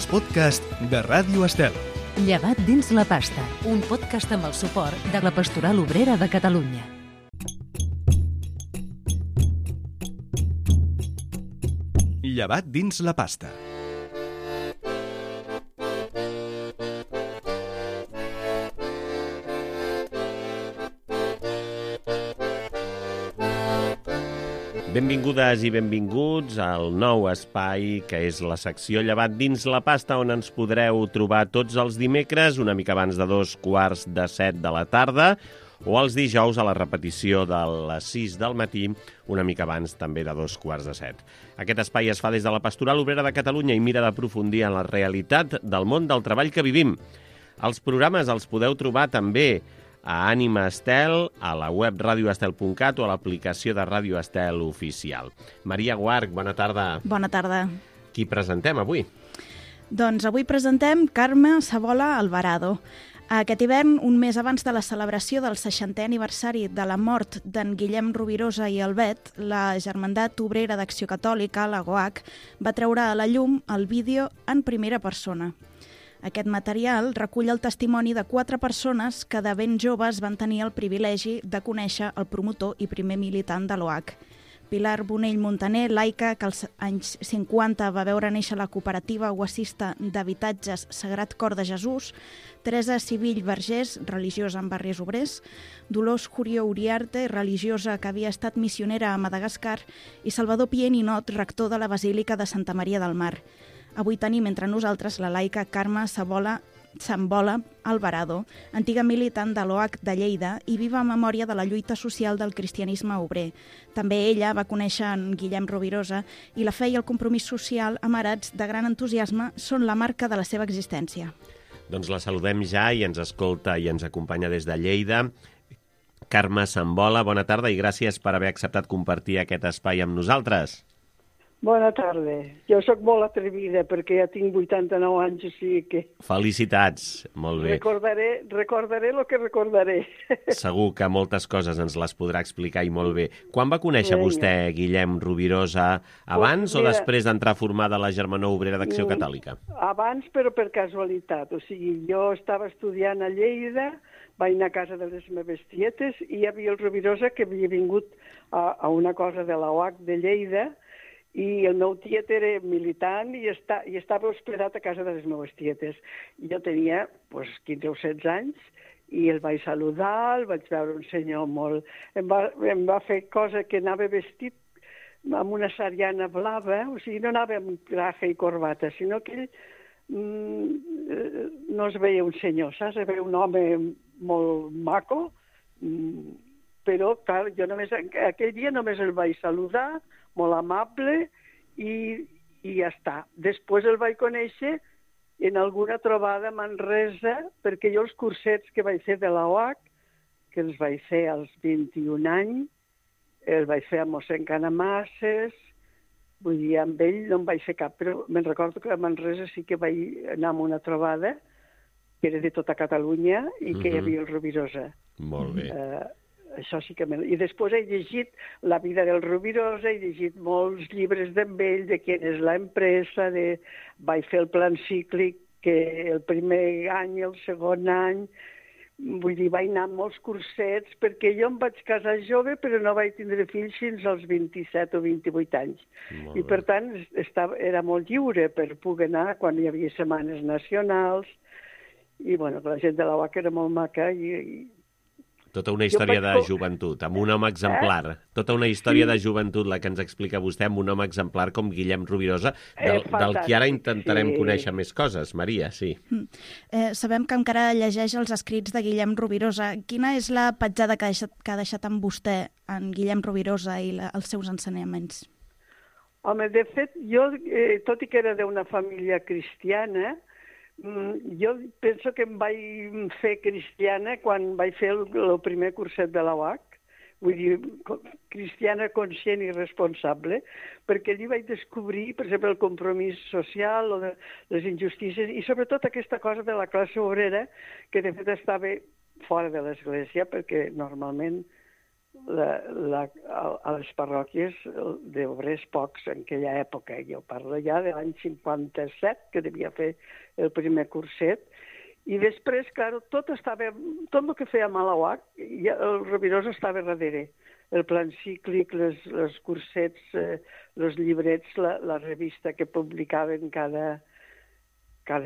els podcasts de Ràdio Estel. Llevat dins la pasta, un podcast amb el suport de la Pastoral Obrera de Catalunya. Llevat dins la pasta. Benvingudes i benvinguts al nou espai que és la secció Llevat dins la pasta, on ens podreu trobar tots els dimecres una mica abans de 6:45 de la tarda o els dijous a la repetició de les 6 del matí, una mica abans també de 6:45. Aquest espai es fa des de la Pastoral Obrera de Catalunya i mira d'aprofundir en la realitat del món del treball que vivim. Els programes els podeu trobar també a Ànima Estel, a la web radioestel.cat o a l'aplicació de Ràdio Estel oficial. Maria Guarch, bona tarda. Bona tarda. Qui presentem avui? Doncs avui presentem Carme Sabola Alvarado. Aquest hivern, un mes abans de la celebració del 60è aniversari de la mort d'en Guillem Rovirosa i Albet, la Germandat Obrera d'Acció Catòlica, la GOAC, va treure a la llum el vídeo en primera persona. Aquest material recull el testimoni de 4 persones que de ben joves van tenir el privilegi de conèixer el promotor i primer militant de l'OAC. Pilar Bonell Montaner, laica, que als anys 50 va veure néixer la cooperativa oacista d'habitatges Sagrat Cor de Jesús, Teresa Sivill Vergés, religiosa en barris obrers, Dolors Jurió Uriarte, religiosa que havia estat missionera a Madagascar, i Salvador Pié Ninot, rector de la Basílica de Santa Maria del Mar. Avui tenim entre nosaltres la laica Carme Sabola Alvarado, antiga militant de l'OAC de Lleida i viva memòria de la lluita social del cristianisme obrer. També ella va conèixer en Guillem Rovirosa i la fe i el compromís social, amarats de gran entusiasme, són la marca de la seva existència. Doncs la saludem ja i ens escolta i ens acompanya des de Lleida. Carme Sabola, bona tarda i gràcies per haver acceptat compartir aquest espai amb nosaltres. Bona tarda. Jo sóc molt atrevida perquè ja tinc 89 anys, o sigui que... Felicitats, molt bé. Recordaré el que recordaré. Segur que moltes coses ens les podrà explicar i molt bé. Quan va conèixer vostè Guillem Rovirosa? Abans o després d'entrar formada a la Germanor Obrera d'Acció Catòlica? Abans, però per casualitat. O sigui, jo estava estudiant a Lleida, vaig anar a casa de les meves tietes i hi havia el Rovirosa que havia vingut a una cosa de la OAC de Lleida i el meu tiet era militant i estava hospedat a casa de les meves tietes. Jo tenia 15 o 16 anys i el vaig saludar, el vaig veure un senyor molt... Em va fer cosa que anava vestit amb una sariana blava, o sigui, no anava amb traje i corbata, sinó que ell no es veia un senyor, saps? Es veia un home molt maco, però, clar, jo aquell dia només el vaig saludar, molt amable, i ja està. Després el vaig conèixer en alguna trobada a Manresa, perquè jo els cursets que vaig fer de la OAC, que els vaig fer als 21 anys, els vaig fer a mossèn Canamasses, vull dir, amb ell no en vaig fer cap, però me'n recordo que a Manresa sí que vaig anar a una trobada, que era de tota Catalunya, i que hi havia el Rovirosa. Molt bé. Això sí que... I després he llegit la vida del Rovirosa, he llegit molts llibres d'ell, de què és l'empresa, vaig fer el plan cíclic, que el primer any i el segon any, vull dir, vaig anar a molts cursets, perquè jo em vaig casar jove, però no vaig tindre fills fins als 27 o 28 anys. I per tant era molt lliure per poder anar quan hi havia setmanes nacionals, i bueno, la gent de la UAC era molt maca i... Tota una història de joventut, amb un home exemplar. Tota una història de joventut, la que ens explica vostè, amb un home exemplar com Guillem Rovirosa, del que ara intentarem conèixer més coses. Maria, sí. Sabem que encara llegeix els escrits de Guillem Rovirosa. Quina és la petjada que ha deixat amb vostè en Guillem Rovirosa i els seus ensenyaments? Home, de fet, jo, tot i que era d'una família cristiana, jo penso que em vaig fer cristiana quan vaig fer el primer curset de la UAC, vull dir, cristiana conscient i responsable, perquè allí vaig descobrir, per exemple, el compromís social o de les injustícies i sobretot aquesta cosa de la classe obrera que de fet estava fora de l'Església, perquè normalment a les parròquies d'obrers pocs en aquella època. Jo parlo ja de l'any 57, que devia fer el primer curset, i després, clar, tot el que fèiem a la UAC, el Rovirosa estava darrere. El plan cíclic, els cursets, els llibrets, la revista que publicaven cada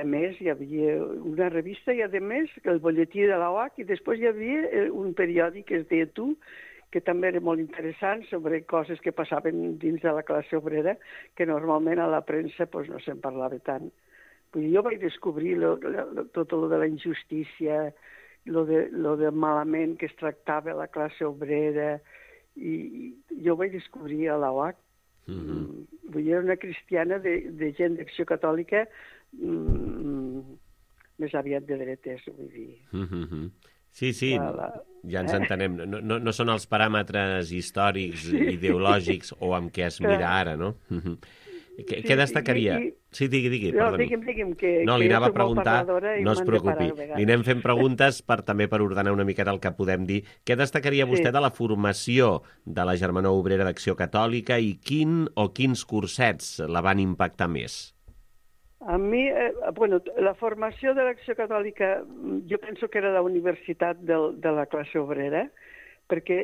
mes. Hi havia una revista i, a més, el butlletí de la UAC, i després hi havia un periòdic que es deia Tu, que també era molt interessant, sobre coses que passaven dins de la classe obrera, que normalment a la premsa no se'n parlava tant. Jo vaig descobrir tot el de la injustícia, el de malament que es tractava la classe obrera, i jo vaig descobrir a la UAC. Era una cristiana de gent d'Acció Catòlica més aviat de dretes, vull dir. Sí, ja ens entenem. No són els paràmetres històrics, ideològics o amb què es mira ara, no? Què destacaria? Sí, digui, perdoni. Digui'm no, li anava a preguntar, no es preocupi. Li anem fent preguntes també per ordenar una miqueta el que podem dir. Què destacaria vostè de la formació de la Germanor Obrera d'Acció Catòlica i quins cursets la van impactar més? A mi, la formació de l'Acció Catòlica, jo penso que era la universitat de la classe obrera, perquè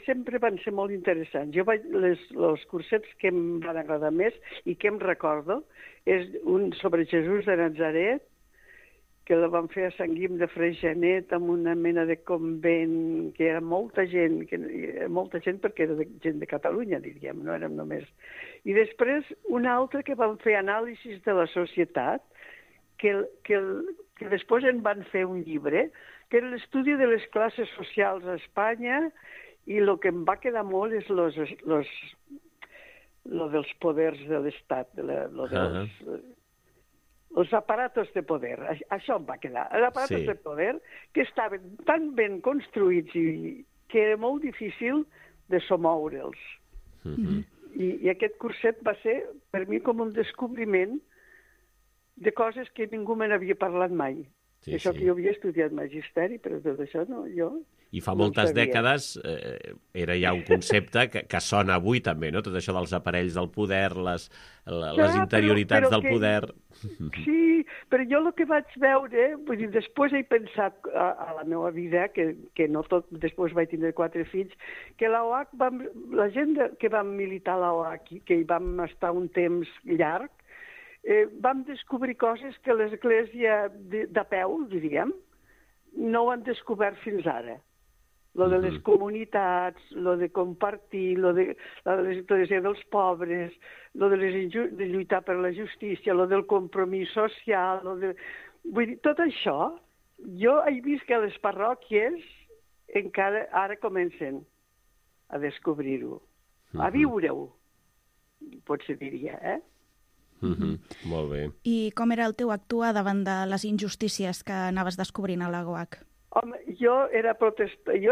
sempre van ser molt interessants. Els cursets que em van agradar més i que em recordo és un sobre Jesús de Nazaret, que la van fer a Sant Guim de Freixenet, amb una mena de convent, que era molta gent perquè era gent de Catalunya, diríem, no érem només. I després una altra que van fer anàlisis de la societat, que després en van fer un llibre, que era l'estudi de les classes socials a Espanya, i el que em va quedar molt és lo dels poders de l'Estat, els aparatos de poder, això em va quedar. Els aparatos de poder que estaven tan ben construïts i que era molt difícil de somoure'ls. I aquest curset va ser, per mi, com un descobriment de coses que ningú me n'havia parlat mai. Això que jo havia estudiat magisteri, però tot això no, jo... I fa moltes dècades era ja un concepte que sona avui també, no? Tot això dels aparells del poder, les interioritats del poder... Sí, però jo el que vaig veure, vull dir, després he pensat a la meva vida, que no tot, després vaig tindre 4 fills, que la OAC, la gent que vam militar a la OAC, que hi vam estar un temps llarg, vam descobrir coses que l'Església de peu, diríem, no ho han descobert fins ara. Lo de les comunitats, lo de compartir, lo de l'església dels pobres, lo de lluitar per la justícia, lo del compromís social, vull dir, tot això, jo he vist que les parròquies encara ara comencen a descobrir-ho, a viure-ho, potser diria, Molt bé. I com era el teu actuar davant de les injustícies que anaves descobrint a la GOAC? Home, jo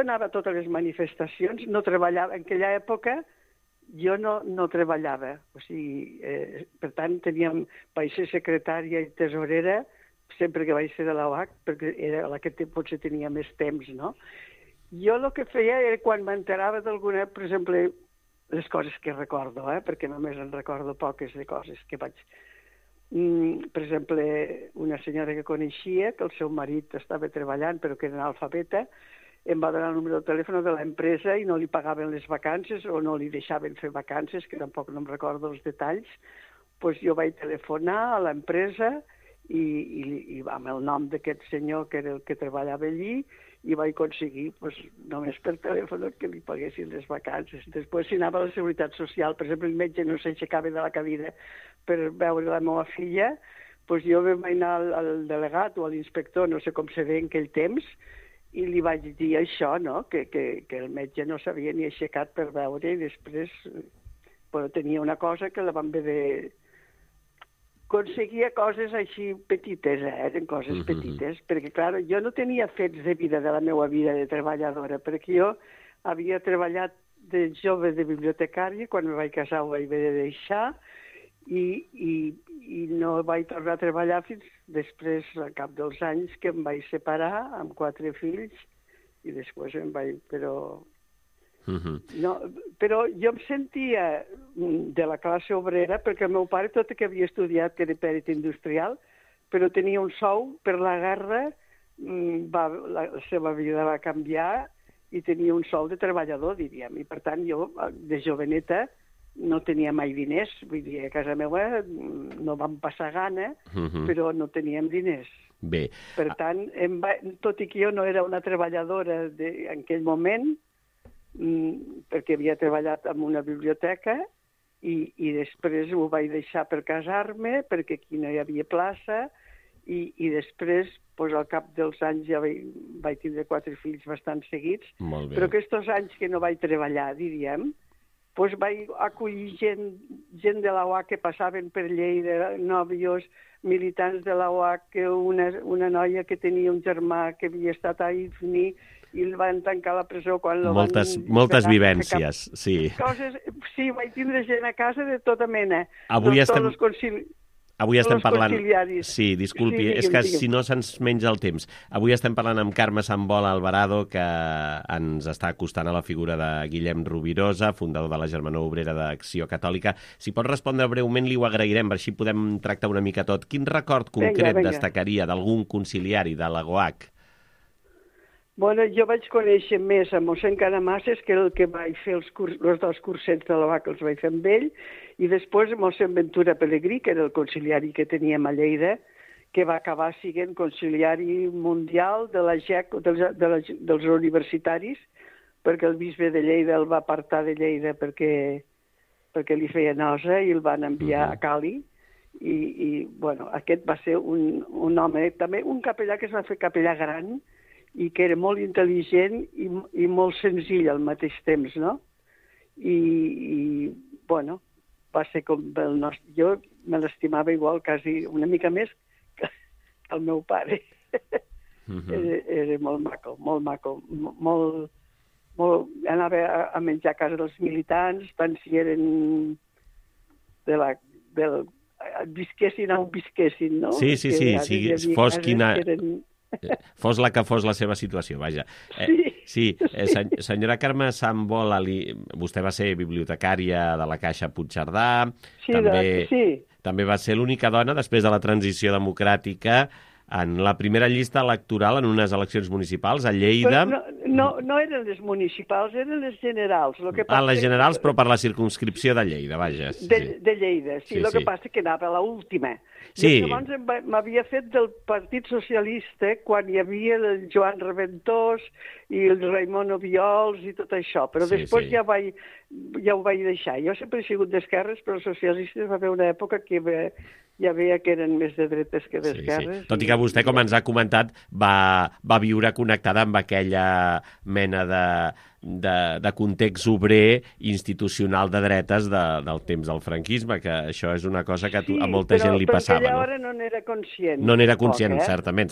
anava a totes les manifestacions, no treballava. En aquella època jo no treballava. O sigui, per tant, vaig ser secretària i tesorera sempre que vaig ser de la UAC, perquè era la que potser tenia més temps, no? Jo el que feia era quan m'enterava d'alguna, per exemple, les coses que recordo, perquè només en recordo poques de coses que vaig... Per exemple, una senyora que coneixia, que el seu marit estava treballant però que era analfabeta, em va donar el número de telèfon de l'empresa i no li pagaven les vacances o no li deixaven fer vacances, que tampoc no em recordo els detalls. Doncs jo vaig telefonar a l'empresa i amb el nom d'aquest senyor que era el que treballava allí i vaig aconseguir només per telèfon que li paguessin les vacances. Després, si anava a la Seguretat Social, per exemple, el metge no s'aixecava de la cadira per veure la meva filla, doncs jo vaig anar al delegat o a l'inspector, no sé com se deia en aquell temps, i li vaig dir això, no? que el metge no s'havia ni aixecat per veure i després tenia una cosa que la vam haver de... Aconseguia coses així petites, eren coses petites, perquè, clar, jo no tenia fets de vida de la meva vida de treballadora, perquè jo havia treballat de jove de bibliotecària, quan me vaig casar ho vaig haver de deixar, i no vaig tornar a treballar fins després, al cap dels anys, que em vaig separar amb 4 fills, i després em vaig... Però No, però jo em sentia de la classe obrera perquè el meu pare, tot i que havia estudiat, que era pèrit industrial, però tenia un sou per la guerra, la seva vida va canviar i tenia un sou de treballador, diríem. I per tant jo, de joveneta, no tenia mai diners. Vull dir, a casa meva no vam passar gana, però no teníem diners. Bé. Per tant, tot i que jo no era una treballadora en aquell moment, perquè havia treballat en una biblioteca i després ho vaig deixar per casar-me, perquè aquí no hi havia plaça, i després, al cap dels anys, ja vaig tindre 4 fills bastant seguits, però aquests anys que no vaig treballar, diríem, vaig acollir gent de la UAC que passaven per Lleida, nòvios, militants de la UAC, una noia que tenia un germà que havia estat a IFNI i el van tancar a la presó quan el moltes vivències, sí. Sí, vaig tindre gent a casa de tota mena. Avui estem parlant... Sí, disculpi, és que si no se'ns menja el temps. Avui estem parlant amb Carme Sambola Alvarado, que ens està acostant a la figura de Guillem Rovirosa, fundador de la Germanor Obrera d'Acció Catòlica. Si pot respondre breument, li ho agrairem, per així podem tractar una mica tot. Quin record concret destacaria d'algun conciliari de la GOAC? Bueno, jo vaig conèixer més a mossèn Canamasses, que era el que vaig fer els 2 cursets de la UAC, els vaig fer amb ell, i després mossèn Ventura Pelegrí, que era el conciliari que teníem a Lleida, que va acabar sent conciliari mundial de la GEC, dels universitaris, perquè el bisbe de Lleida el va apartar de Lleida perquè li feia nosa i el van enviar a Cali. I bueno, aquest va ser un home, també un capellà que es va fer capellà gran, i que era molt intel·ligent i molt senzill al mateix temps, no? I bueno, va ser com el nostre... Jo me l'estimava igual, quasi una mica més que el meu pare. Era molt maco, molt maco. Anava a menjar a casa dels militants, tant si eren visquessin on visquessin, no? Sí, fos quina... Fos la que fos la seva situació, vaja. Sí, senyora Carme Sambola, vostè va ser bibliotecària de la Caixa Puigcerdà, també va ser l'única dona, després de la transició democràtica, en la primera llista electoral en unes eleccions municipals a Lleida. No eren les municipals, eren les generals. Les generals, però per la circumscripció de Lleida, vaja. De Lleida, sí. El que passa que anava a l'última. Sí. Llavors m'havia fet del Partit Socialista quan hi havia el Joan Reventós i el Raimon Obiols i tot això, però després ja ho vaig deixar. Jo sempre he sigut d'esquerres, però els socialistes va haver una època que ja veia que eren més de dretes que d'esquerres. Tot i que vostè, com ens ha comentat, va viure connectada amb aquella mena de context obrer institucional de dretes del temps del franquisme, que això és una cosa que a molta gent li passava. Sí, però aquella hora no n'era conscient. No n'era conscient, certament.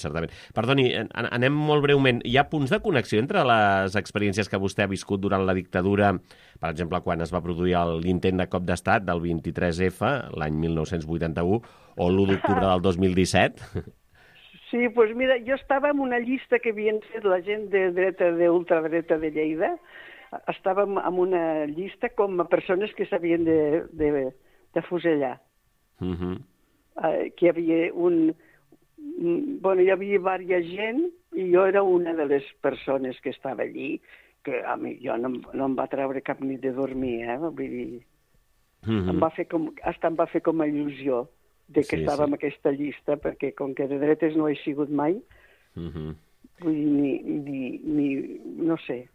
Perdoni, anem molt breument. Hi ha punts de connexió entre les experiències que vostè ha viscut durant la dictadura, per exemple, quan es va produir l'intent de cop d'estat del 23F, l'any 1981, o l'1 d'octubre del 2017? Sí, doncs mira, jo estava en una llista que havien fet la gent de dreta, d'ultradreta de Lleida. Estàvem en una llista com a persones que s'havien de fusellar. Que hi havia hi havia diversa gent i jo era una de les persones que estava allí, que a mi jo no em va treure cap nit de dormir, vull dir, em va fer com a il·lusió de que estava en aquesta llista, perquè com que de dretes no he sigut mai, vull dir, no sé.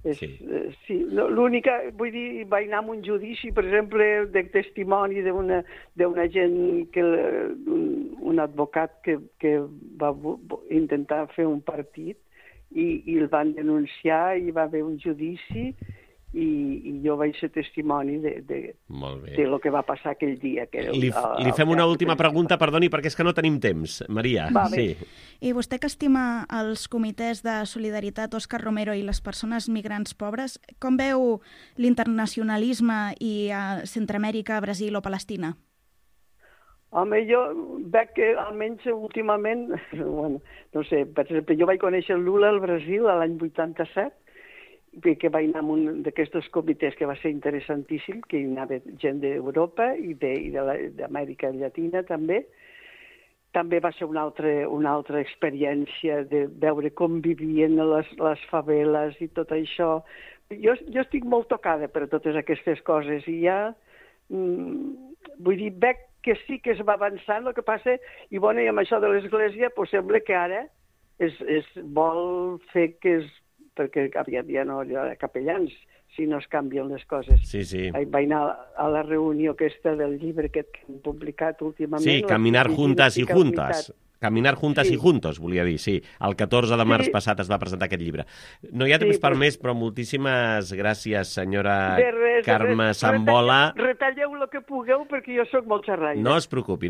Sí, l'única, vull dir, vaig anar a un judici, per exemple, de testimoni d'una gent, un advocat que va intentar fer un partit i el van denunciar i va haver un judici i jo vaig ser testimoni de lo que va passar aquell dia. Li fem una última pregunta, perdoni, perquè és que no tenim temps. Maria, sí. I vostè que estima els comitès de solidaritat Òscar Romero i les persones migrants pobres, com veu l'internacionalisme i Centroamèrica, Brasil o Palestina? Home, jo veig que almenys últimament, no sé, per exemple, jo vaig conèixer el Lula al Brasil l'any 87, que vaig anar a un d'aquests comitès que va ser interessantíssim, que hi anava gent d'Europa i d'Amèrica Llatina també. També va ser una altra experiència de veure com vivien les faveles i tot això. Jo estic molt tocada per totes aquestes coses i ja, vull dir, veig que sí que es va avançant, el que passa, i bueno, i amb això de l'Església, pues sembla que ara es vol fer que perquè aviat ja no hi ha capellans si no es canvien les coses. Sí. Vaig anar a la reunió aquesta del llibre que hem publicat últimament. Sí, Caminar juntas y juntas. Caminar juntas y juntos, volia dir, sí. El 14 de març passat es va presentar aquest llibre. No hi ha temps per més, però moltíssimes gràcies, senyora Carme Sambola. Retalleu el que pugueu, perquè jo sóc molt xerraire. No es preocupi.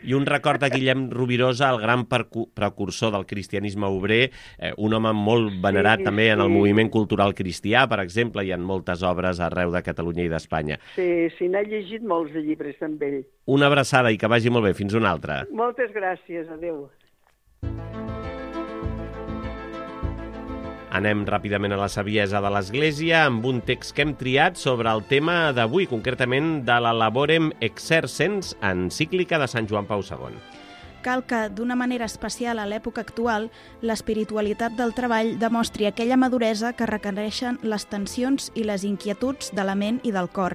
I un record a Guillem Rovirosa, el gran precursor del cristianisme obrer, un home molt venerat també en el moviment cultural cristià, per exemple, i en moltes obres arreu de Catalunya i d'Espanya. Sí, n'he llegit molts de llibres amb ell. Una abraçada i que vagi molt bé. Fins una altra. Moltes gràcies, adeu. Anem ràpidament a la saviesa de l'Església amb un text que hem triat sobre el tema d'avui, concretament de la Laborem Exercens, encíclica de Sant Joan Pau II. Cal que, d'una manera especial a l'època actual, l'espiritualitat del treball demostri aquella maduresa que requereixen les tensions i les inquietuds de la ment i del cor.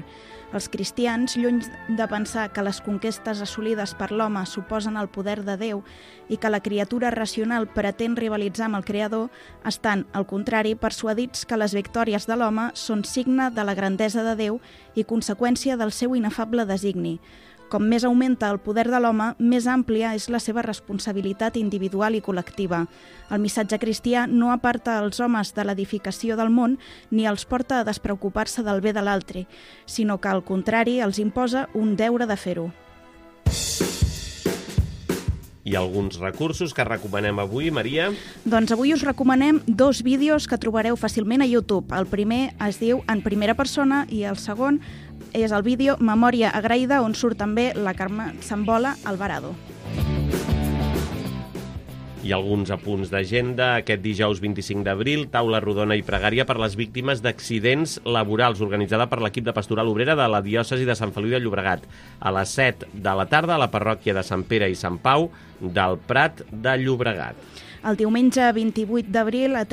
Els cristians, lluny de pensar que les conquestes assolides per l'home suposen el poder de Déu i que la criatura racional pretén rivalitzar amb el Creador, estan, al contrari, persuadits que les victòries de l'home són signe de la grandesa de Déu i conseqüència del seu inefable designi. Com més augmenta el poder de l'home, més àmplia és la seva responsabilitat individual i col·lectiva. El missatge cristià no aparta els homes de l'edificació del món ni els porta a despreocupar-se del bé de l'altre, sinó que, al contrari, els imposa un deure de fer-ho. I alguns recursos que recomanem avui, Maria? Doncs avui us recomanem 2 vídeos que trobareu fàcilment a YouTube. El primer es diu En primera persona i el segon és el vídeo Memòria agraïda, on surt també la Carme Sambola Alvarado. I alguns apunts d'agenda. Aquest dijous 25 d'abril, taula rodona i pregària per les víctimes d'accidents laborals, organitzada per l'equip de Pastoral Obrera de la diòcesi de Sant Feliu de Llobregat. A les 7 de la tarda, a la parròquia de Sant Pere i Sant Pau del Prat de Llobregat. El diumenge 28 d'abril, de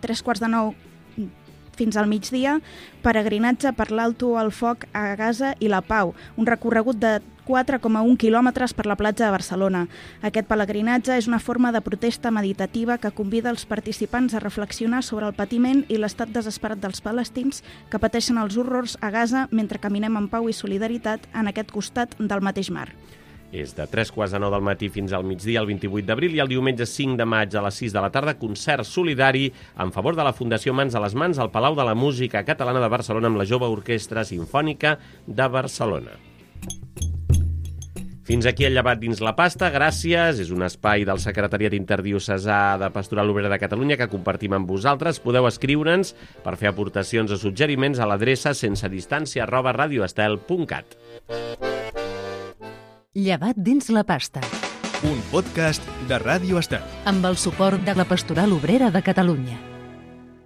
3:45 fins al migdia, peregrinatge per l'Alto al Foc a Gaza i la Pau, un recorregut de 4,1 quilòmetres per la platja de Barcelona. Aquest pelegrinatge és una forma de protesta meditativa que convida els participants a reflexionar sobre el patiment i l'estat desesperat dels palestins que pateixen els horrors a Gaza mentre caminem en pau i solidaritat en aquest costat del mateix mar. És de 3:45 del matí fins al migdia, el 28 d'abril, i el diumenge 5 de maig a les 6 de la tarda, concert solidari en favor de la Fundació Mans a les Mans al Palau de la Música Catalana de Barcelona amb la Jove Orquestra Simfònica de Barcelona. Fins aquí el llevat dins la pasta, gràcies. És un espai del Secretariat Interdiocesà de Pastoral Obrera de Catalunya que compartim amb vosaltres. Podeu escriure'ns per fer aportacions o suggeriments a l'adreça sensedistància@radioestel.cat. Llevat dins la pasta. Un podcast de Ràdio Estel. Amb el suport de la Pastoral Obrera de Catalunya.